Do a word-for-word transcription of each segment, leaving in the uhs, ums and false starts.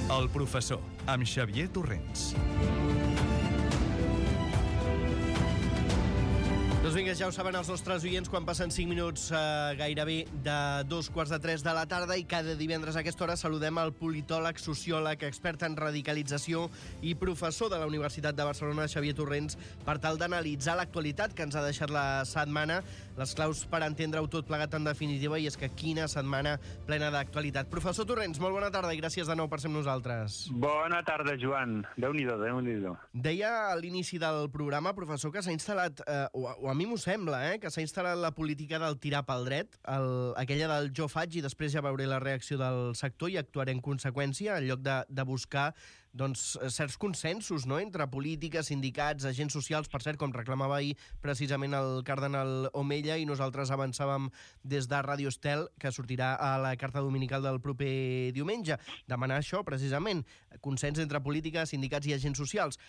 El professor, amb Xavier Torrents. Doncs vinga, ja ho saben els nostres oients, quan passen cinc minuts eh, gairebé de dos quarts de tres de la tarda, i cada divendres a aquesta hora saludem el politòleg, sociòleg, expert en radicalització i professor de la Universitat de Barcelona, Xavier Torrents, per tal d'analitzar l'actualitat que ens ha deixat la setmana, les claus per entendre-ho tot plegat en definitiva, i és que quina setmana plena d'actualitat. Professor Torrents, molt bona tarda i gràcies de nou per ser amb nosaltres. Bona tarda, Joan. Déu-n'hi-do, Déu-n'hi-do. Deia a l'inici del programa, professor, que s'ha instal·lat, eh, o, o a mi m'ho sembla, eh, que s'ha instal·lat la política del tirar pel dret, el, aquella del jo faig i després ja veuré la reacció del sector i actuaré en conseqüència, en lloc de, de buscar doncs, certs consensos, no?, entre polítiques, sindicats, agents socials, per cert, com reclamava ahir precisament el cardenal Omella, i nosaltres avançàvem des de Ràdio Estel, que sortirà a la carta dominical del proper diumenge, demanar això, precisament, consens entre polítiques, sindicats i agents socials.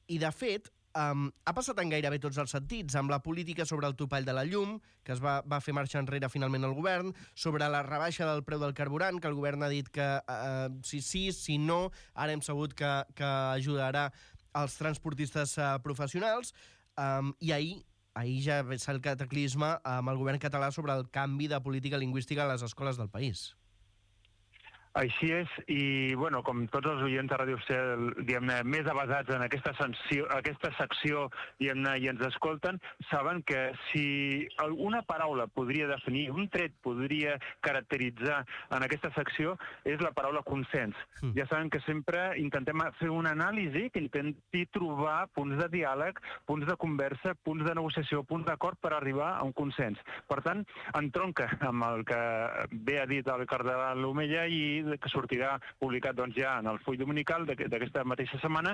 I, de fet, Um, ha passat en gairebé tots els sentits, amb la política sobre el topall de la llum, que es va, va fer marxar enrere finalment el govern, sobre la rebaixa del preu del carburant, que el govern ha dit que uh, si sí, si no, ara hem sabut que, que ajudarà els transportistes uh, professionals, um, i ahir ahir ja va ser el cataclisme amb el govern català sobre el canvi de política lingüística a les escoles del país. Així és, i bueno, com tots els oients de Ràdio Estel, diguem-ne, més avasats en aquesta, sanció, aquesta secció, diguem-ne, i ens escolten, saben que si alguna paraula podria definir, un tret podria caracteritzar en aquesta secció, és la paraula consens. Mm. Ja saben que sempre intentem fer una anàlisi que intenti trobar punts de diàleg, punts de conversa, punts de negociació, punts d'acord per arribar a un consens. Per tant, entronca amb el que bé ha dit el cardenal Omella i que sortirà publicat doncs, ja en el full dominical d'aquesta mateixa setmana,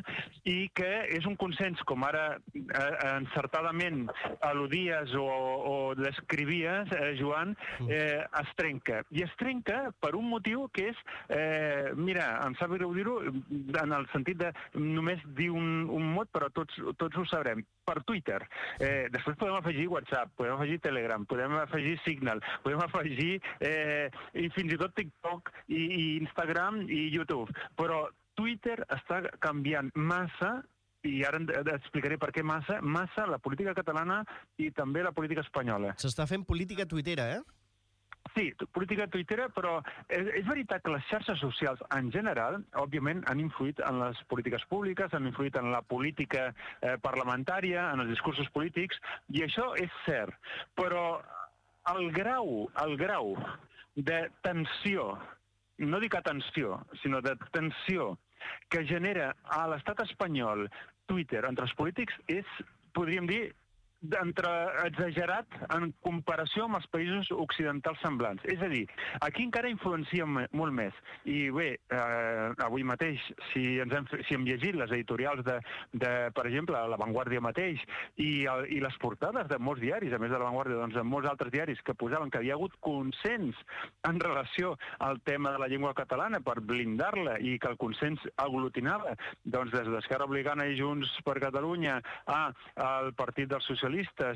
i que és un consens, com ara eh, encertadament al·ludies o, o descrivies, eh, Joan, eh, es trenca. I es trenca per un motiu que és, eh, mira, em sap greu dir-ho, en el sentit de només dir un, un mot, però tots, tots ho sabrem, per Twitter. Eh, després podem afegir WhatsApp, podem afegir Telegram, podem afegir Signal, podem afegir eh, i fins i tot TikTok i, i Instagram i YouTube. Però Twitter està canviant massa, i ara explicaré per què massa, massa la política catalana i també la política espanyola. S'està fent política tuitera, eh? Sí, política tuitera, però és, és veritat que les xarxes socials en general, òbviament, han influït en les polítiques públiques, han influït en la política eh, parlamentària, en els discursos polítics, i això és cert. Però el grau, el grau de tensió, no dic atenció, sinó de tensió que genera a l'estat espanyol Twitter entre els polítics és, podríem dir, entre exagerat en comparació amb els països occidentals semblants. És a dir, aquí encara influencia molt més. I bé, eh, avui mateix, si, ens hem, si hem llegit les editorials de, de per exemple, La Vanguardia mateix, i, el, i les portades de molts diaris, a més de La Vanguardia, doncs de molts altres diaris que posaven que havia hagut consens en relació al tema de la llengua catalana per blindar-la, i que el consens aglutinava doncs des d'Esquerra Republicana i Junts per Catalunya a, al Partit dels Socialistes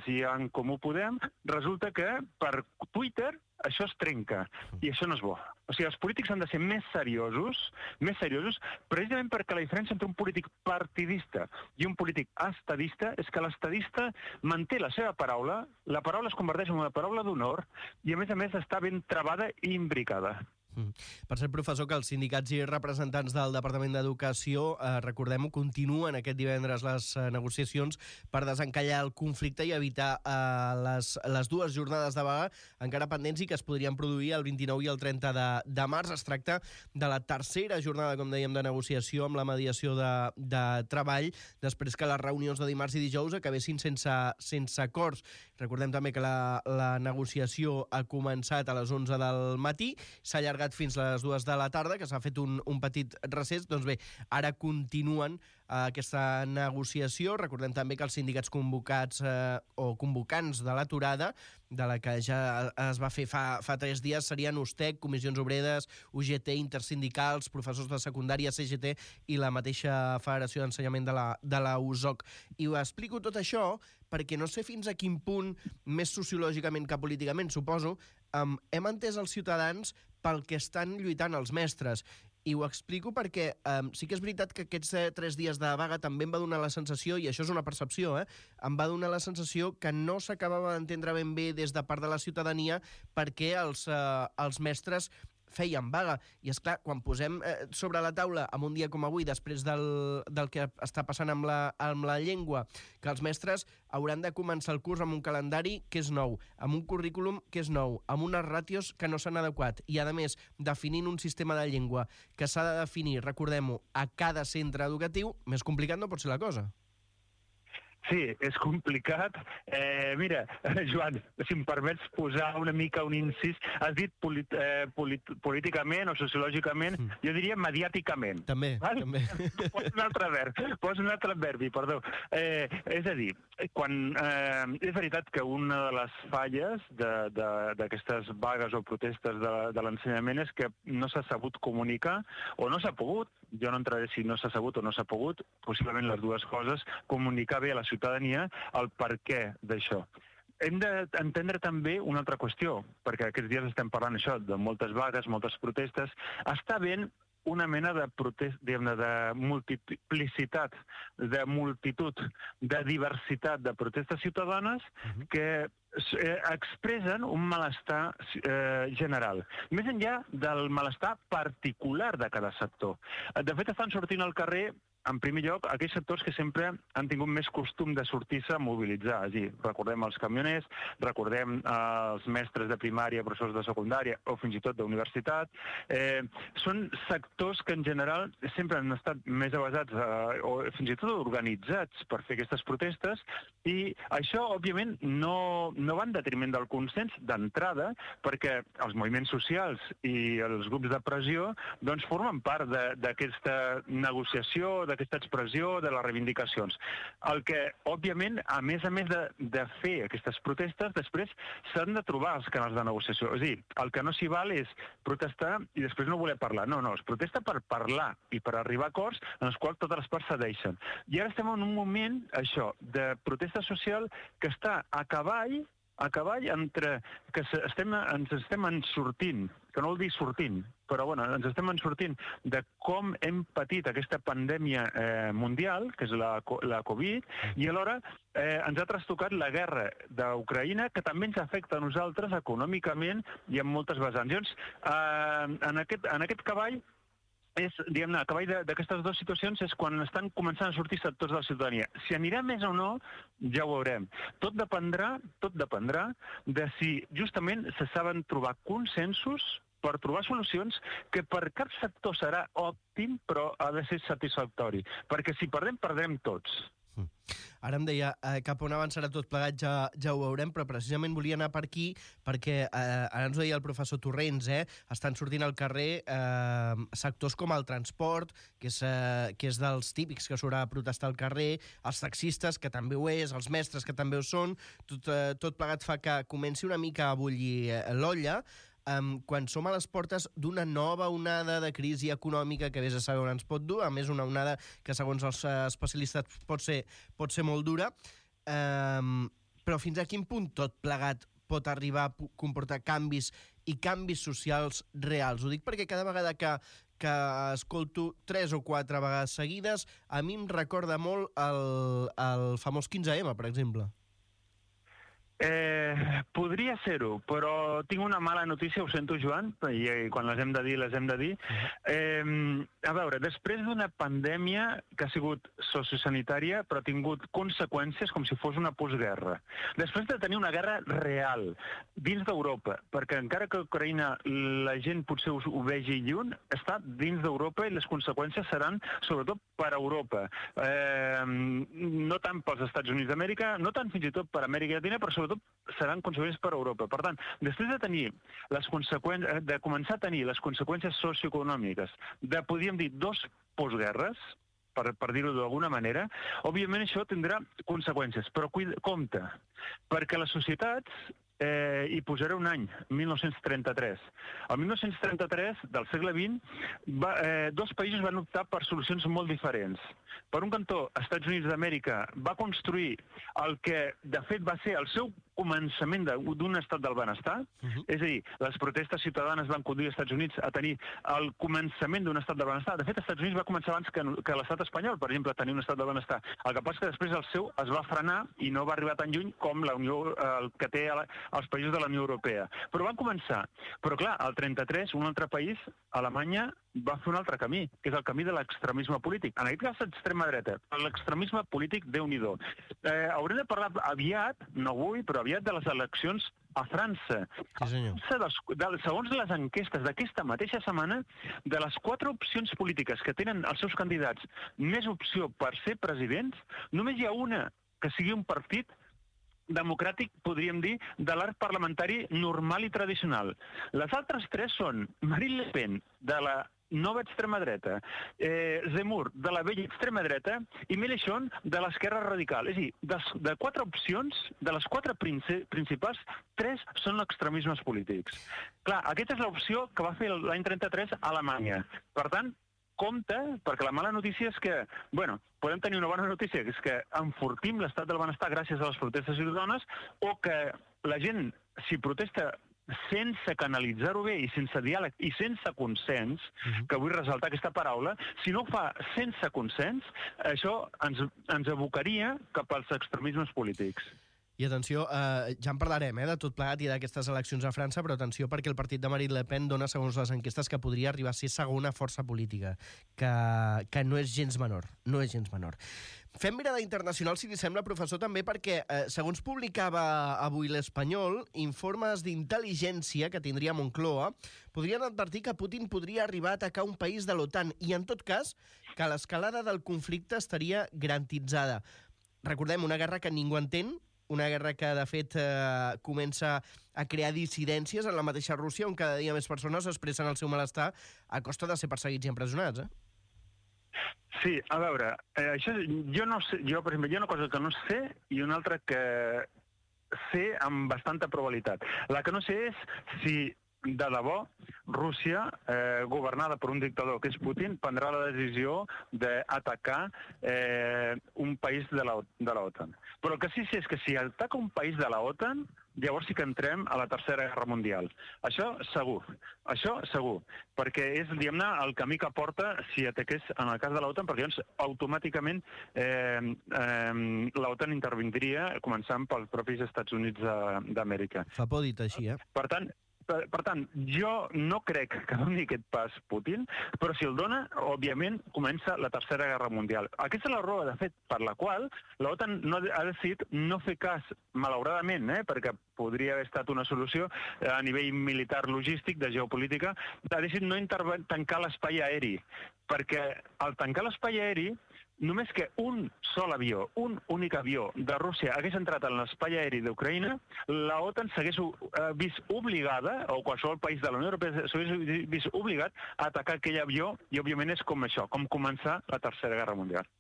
i en Comú Podem, resulta que per Twitter això es trenca, i això no és bo. O sigui, els polítics han de ser més seriosos, més seriosos, precisament perquè la diferència entre un polític partidista i un polític estadista és que l'estadista manté la seva paraula, la paraula es converteix en una paraula d'honor, i a més a més està ben travada i imbricada. Mm. Per ser professor, que els sindicats i representants del Departament d'Educació, eh, recordem-ho, continuen aquest divendres les eh, negociacions per desencallar el conflicte i evitar eh, les, les dues jornades de vaga encara pendents i que es podrien produir el vint-i-nou i el trenta de, de març. Es tracta de la tercera jornada, com dèiem, de negociació amb la mediació de, de treball, després que les reunions de dimarts i dijous acabessin sense, sense acords. Recordem també que la, la negociació ha començat a les onze del matí, s'ha allargat fins les dues de la tarda, que s'ha fet un, un petit recés. Doncs bé, ara continuen eh, aquesta negociació. Recordem també que els sindicats convocats eh, o convocants de l'aturada, de la que ja es va fer fa, fa tres dies, serien USTEC, Comissions Obreres, U G T, Intersindicals, professors de secundària, C G T i la mateixa Federació d'Ensenyament de la, de la U S O C. I ho explico tot això perquè no sé fins a quin punt, més sociològicament que políticament, suposo, um, hem entès els ciutadans pel que estan lluitant els mestres. I ho explico perquè um, sí que és veritat que aquests eh, tres dies de vaga també em va donar la sensació, i això és una percepció, eh, em va donar la sensació que no s'acabava d'entendre ben bé des de part de la ciutadania perquè els, eh, els mestres feien vaga. I, és clar, quan posem eh, sobre la taula, en un dia com avui, després del, del que està passant amb la, amb la llengua, que els mestres hauran de començar el curs amb un calendari que és nou, amb un currículum que és nou, amb unes ràtios que no s'han adequat, i, a més, definint un sistema de llengua que s'ha de definir, recordem-ho, a cada centre educatiu, més complicat no pot ser la cosa. Sí, és complicat. Eh, mira, Joan, si em permets posar una mica un incís, has dit polit, eh, polit, políticament o sociològicament, mm. jo diria mediàticament. També, val? també. Posa un altre verb, posa un altre verbi, perdó. Eh, és a dir, quan, eh, és veritat que una de les falles d'aquestes vagues o protestes de, de l'ensenyament és que no s'ha sabut comunicar o no s'ha pogut, jo no entraré si no s'ha sabut o no s'ha pogut, possiblement les dues coses, comunicar bé a la ciutadania el per què d'això. Hem d'entendre també una altra qüestió, perquè aquests dies estem parlant això de moltes vagues, moltes protestes. Està havent una mena de protest, diguem-ne, de multiplicitat, de multitud, de diversitat de protestes ciutadanes uh-huh. que eh, expressen un malestar eh, general, més enllà del malestar particular de cada sector. De fet, estan sortint al carrer, en primer lloc, aquells sectors que sempre han tingut més costum de sortir-se a mobilitzar. És a dir, recordem els camioners, recordem eh, els mestres de primària, professors de secundària o fins i tot d'universitat. Eh, són sectors que en general sempre han estat més avasats eh, o fins i tot organitzats per fer aquestes protestes, i això, òbviament, no, no va en detriment del consens d'entrada, perquè els moviments socials i els grups de pressió doncs, formen part d'aquesta negociació, d'aquesta expressió, de les reivindicacions. El que, òbviament, a més a més de, de fer aquestes protestes, després s'han de trobar els canals de negociació. És a dir, el que no s'hi val és protestar i després no voler parlar. No, no, es protesta per parlar i per arribar a acords en els quals totes les parts cedeixen. I ara estem en un moment, això, de protesta social que està a cavall, a cavall entre que estem, ens estem en sortint, que no vol dir sortint, però bueno, ens estem en sortint de com hem patit aquesta pandèmia eh, mundial, que és la, la Covid, i alhora eh, ens ha trastocat la guerra d'Ucraïna, que també ens afecta a nosaltres econòmicament i en moltes vessants. Llavors, eh, en, aquest, en aquest cavall, és, diguem-ne, a cavall d'aquestes dues situacions és quan estan començant a sortir sectors de la ciutadania. Si anirà més o no, ja ho veurem. Tot dependrà, tot dependrà de si justament se saben trobar consensos per trobar solucions que per cap sector serà òptim, però ha de ser satisfactori. Perquè si perdem, perdrem tots. Ara em deia, eh, cap on avançarà tot plegat ja, ja ho veurem, però precisament volia anar per aquí perquè eh, ara ens ho deia el professor Torrents, eh, estan sortint al carrer eh, sectors com el transport, que és, eh, que és dels típics que s'haurà de protestar al carrer, els taxistes, que també ho és, els mestres, que també ho són, tot, eh, tot plegat fa que comenci una mica a bullir eh, l'olla, Um, quan som a les portes d'una nova onada de crisi econòmica que vés a saber on ens pot dur, a més una onada que segons els uh, especialistes pot ser, pot ser molt dura, um, però fins a quin punt tot plegat pot arribar a comportar canvis i canvis socials reals? Ho dic perquè cada vegada que, que escolto tres o quatre vegades seguides, a mi em recorda molt el, el famós quinze ema, per exemple. Eh, podria ser-ho, però tinc una mala notícia, ho sento, Joan, i, i quan les hem de dir, les hem de dir. Eh, a veure, després d'una pandèmia que ha sigut sociosanitària, però ha tingut conseqüències com si fos una postguerra. Després de tenir una guerra real dins d'Europa, perquè encara que a Ucraïna la gent potser ho, ho vegi lluny, està dins d'Europa i les conseqüències seran sobretot per Europa. Eh, no tant pels Estats Units d'Amèrica, no tant fins i tot per Amèrica Llatina, però sobretot seran conseqüències per a Europa. Per tant, després de tenir les conseqüències, de començar a tenir les conseqüències socioeconòmiques de, podríem dir, dos postguerres, per, per dir-ho d'alguna manera, òbviament això tindrà conseqüències, però cuida, compte, perquè les societats, eh, hi posaré un any, mil nou-cents trenta-tres. El mil nou-cents trenta-tres del segle vint, va, eh, dos països van optar per solucions molt diferents. Per un cantó, Estats Units d'Amèrica va construir el que, de fet, va ser el seu començament d'un estat del benestar, uh-huh. és a dir, les protestes ciutadanes van conduir als Estats Units a tenir el començament d'un estat del benestar. De fet, als Estats Units va començar abans que, que l'estat espanyol, per exemple, a tenir un estat del benestar. El que passa és que després el seu es va frenar i no va arribar tan lluny com la Unió, el que té els països de la Unió Europea. Però van començar. Però clar, al trenta-tres, un altre país, Alemanya, va fer un altre camí, que és el camí de l'extremisme polític. En aquest cas, l'extrema dreta. L'extremisme polític, Déu-n'hi-do. Eh, haurem de parlar aviat, no avui, però aviat de les eleccions a França. Sí, senyor. Segons les enquestes d'aquesta mateixa setmana, de les quatre opcions polítiques que tenen els seus candidats més opció per ser presidents, només hi ha una que sigui un partit democràtic, podríem dir, de l'arc parlamentari normal i tradicional. Les altres tres són Marine Le Pen, de la nova extrema dreta, eh, Zemmour, de la vella extrema dreta, i Mélenchon, de l'esquerra radical. És a dir, de, de quatre opcions, de les quatre principals, tres són extremismes polítics. Clar, aquesta és l'opció que va fer l'any trenta-tres a Alemanya. Per tant, compte, perquè la mala notícia és que, bueno, podem tenir una bona notícia, que és que enfortim l'estat del benestar gràcies a les protestes ciutadanes, o que la gent, si protesta sense canalitzar-ho bé i sense diàleg i sense consens, uh-huh. que vull ressaltar aquesta paraula, si no ho fa sense consens, això ens, ens abocaria cap als extremismes polítics. I atenció, eh, ja en parlarem eh, de tot plegat i d'aquestes eleccions a França, però atenció perquè el partit de Marine Le Pen dona, segons les enquestes, que podria arribar a ser segona força política, que, que no és gens menor, no és gens menor. Fem mirada internacional, si li sembla, professor, també perquè, eh, segons publicava avui l'Espanyol, informes d'intel·ligència que tindria Moncloa podrien advertir que Putin podria arribar a atacar un país de l'OTAN i, en tot cas, que l'escalada del conflicte estaria garantitzada. Recordem, una guerra que ningú entén, una guerra que, de fet, eh, comença a crear dissidències en la mateixa Rússia, on cada dia més persones expressen el seu malestar a costa de ser perseguits i empresonats, eh? Sí, a veure, eh, això, jo no sé, jo, per exemple, hi ha una cosa que no sé i una altra que sé amb bastanta probabilitat. La que no sé és si de debò Rússia, eh, governada per un dictador que és Putin, prendrà la decisió d'atacar eh, un país de la, de l'OTAN. Però el que sí, sí és que si ataca un país de l'OTAN, llavors sí que entrem a la Tercera Guerra Mundial. Això segur, això segur, perquè és, diguem-ne, el camí que porta si ataqués en el cas de l'OTAN, perquè llavors automàticament eh, eh, l'OTAN intervindria, començant pels propis Estats Units d'Amèrica. Fa por dit així, eh? Per tant, Per, per tant, jo no crec que doni aquest pas Putin, però si el dona, òbviament, comença la Tercera Guerra Mundial. Aquesta és la raó, de fet, per la qual l'OTAN no ha decidit no fer cas, malauradament, eh, perquè podria haver estat una solució a nivell militar logístic, de geopolítica, ha decidit no tancar l'espai aeri, perquè al tancar l'espai aeri, només que un sol avió, un únic avió de Rússia hagués entrat en l'espai aeri d'Ucraïna, l'OTAN s'hagués vist obligada, o qualsevol país de la Unió Europea s'hagués vist obligat a atacar aquell avió, i òbviament és com això, com començar la Tercera Guerra Mundial.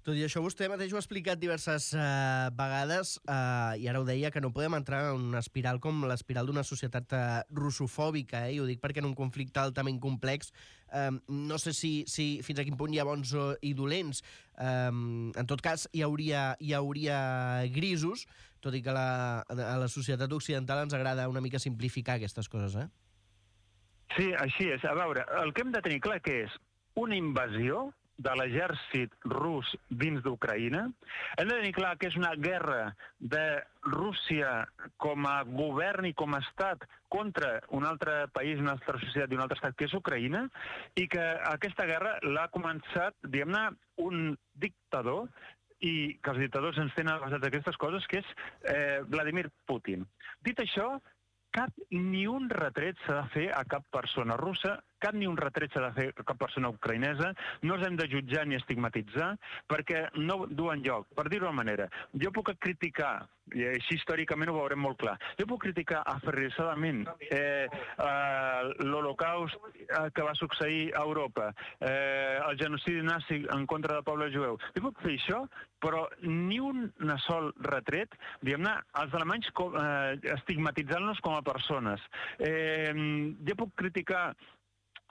Tot i això, vostè mateix ho ha explicat diverses eh, vegades, eh, i ara ho deia, que no podem entrar en una espiral com l'espiral d'una societat eh, russofòbica, eh? I ho dic perquè en un conflicte altament complex, eh, no sé si, si fins a quin punt hi ha bons i dolents. Eh, en tot cas, hi hauria, hi hauria grisos, tot i que la, a la societat occidental ens agrada una mica simplificar aquestes coses, eh? Sí, així és. A veure, el que hem de tenir clar que és una invasió de l'exèrcit rus dins d'Ucraïna. Hem de tenir clar que és una guerra de Rússia com a govern i com a estat contra un altre país, una altra societat i un altre estat, que és Ucraïna, i que aquesta guerra l'ha començat, diguem-ne, un dictador, i que els dictadors ens tenen basat aquestes coses, que és eh, Vladimir Putin. Dit això, cap ni un retret s'ha de fer a cap persona russa, cap ni un retret s'ha de fer a cap persona ucraïnesa, no els hem de jutjar ni estigmatitzar, perquè no duen lloc. Per dir-ho d'una manera, jo puc criticar, i així històricament ho veurem molt clar, jo puc criticar aferrissadament eh, eh, l'Holocaust eh, que va succeir a Europa, eh, el genocidi nazi en contra del poble jueu. Jo puc fer això, però ni un sol retret, diguem-ne, els alemanys com, eh, estigmatitzant-nos com a persones. Eh, jo puc criticar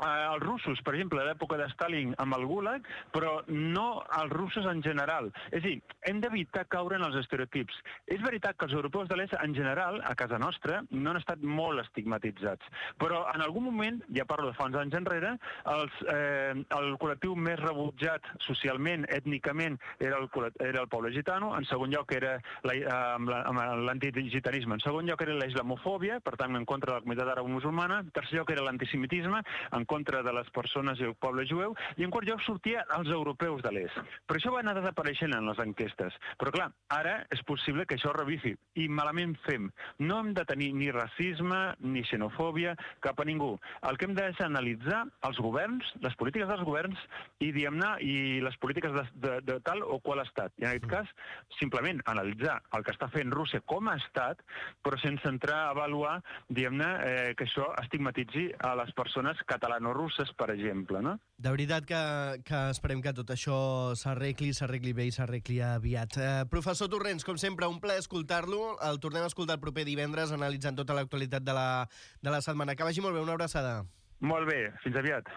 els russos, per exemple, a l'època de Stalin amb el Gulag, però no els russos en general. És a dir, hem d'evitar caure en els estereotips. És veritat que els europeus de l'est, en general, a casa nostra, no han estat molt estigmatitzats. Però en algun moment, ja parlo de fa uns anys enrere, els, eh, el col·lectiu més rebutjat socialment, ètnicament, era el, era el poble gitano, en segon lloc era l'antigitanisme, en segon lloc era la islamofòbia, per tant, en contra de la comunitat àrab-musulmana, en tercer lloc era l'antisemitisme, en contra de les persones i el poble jueu, i en quart lloc sortia els europeus de l'est. Però això va anar desapareixent en les enquestes. Però clar, ara és possible que això revifi, i malament fem. No hem de tenir ni racisme ni xenofòbia cap a ningú. El que hem de és analitzar els governs, les polítiques dels governs, i diguem-ne, i les polítiques de, de, de tal o qual estat. I en aquest cas, simplement analitzar el que està fent Rússia com a estat, però sense entrar a avaluar, diguem-ne, eh, que això estigmatitzi a les persones catalano-russes, per exemple, no? De veritat que, que esperem que tot això s'arregli, s'arregli bé i s'arregli aviat. Eh, professor Torrents, com sempre, un plaer escoltar-lo. El tornem a escoltar el proper divendres, analitzant tota l'actualitat de la, de la setmana. Que vagi molt bé, una abraçada. Molt bé, fins aviat.